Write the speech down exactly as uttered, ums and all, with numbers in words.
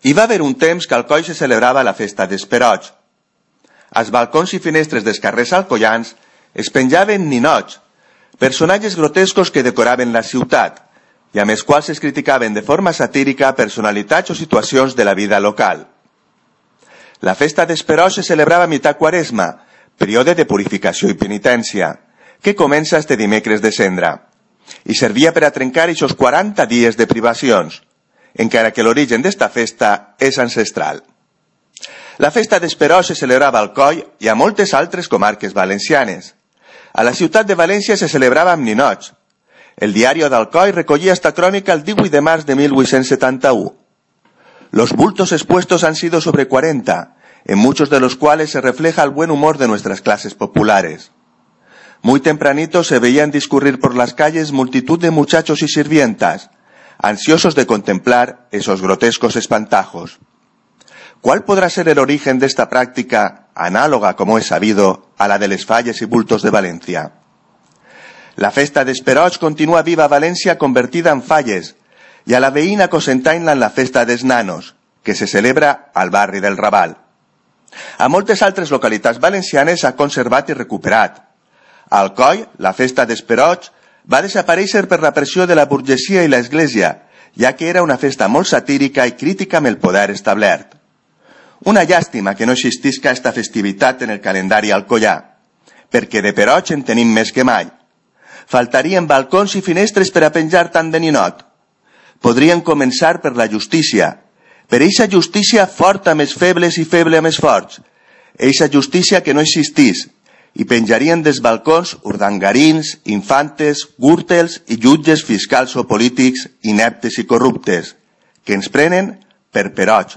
Hi va haver un temps que al Coll se celebrava la festa dels Perots. Als balcons i finestres dels carrers alcoians es penjaven ninots, personatges grotescos que decoraven la ciutat i amb els quals es criticaven de forma satírica personalitats o situacions de la vida local. La festa dels Perots se celebrava a mitjà Quaresma, període de purificació i penitència, que comença este dimecres de Cendra, i servia per a trencar aquests quaranta dies de privacions, encara que l'origen d'esta festa és ancestral. La festa dels Perots se celebrava al Coll i a moltes altres comarques valencianes. A la ciutat de València se celebrava amb ninots. El diario d'Alcoi recollia esta crónica el divuit de març de mil vuit-cents setanta-u. Los bultos expuestos han sido sobre cuarenta, en muchos de los cuales se refleja el buen humor de nuestras clases populares. Muy tempranito se veían discurrir por las calles multitud de muchachos y sirvientas, ansiosos de contemplar esos grotescos espantajos. ¿Cuál podrá ser el origen de esta práctica, análoga, como es sabido, a la de les falles y bultos de Valencia? La festa dels Perots continua viva a València convertida en falles, i a la veïna Cocentaina en la festa dels Nanos, que se celebra al barri del Raval. A moltes altres localitats valencianes s'ha conservat i recuperat. Al Coll, la festa dels Perots va desaparèixer per la pressió de la burgesia i l'Església, ja que era una festa molt satírica i crítica amb el poder establert. Una llàstima que no existisca esta festivitat en el calendari alcoià, perquè de Perots en tenim més que mai. Faltarien balcons i finestres per a penjar tant de ninot. Podrien començar per la justícia, per eixa justícia forta amb els febles i feble amb els forts, eixa justícia que no existís, i penjarien dels balcons urdangarins, infantes, gürtels i jutges fiscals o polítics ineptes i corruptes, que ens prenen per Perots.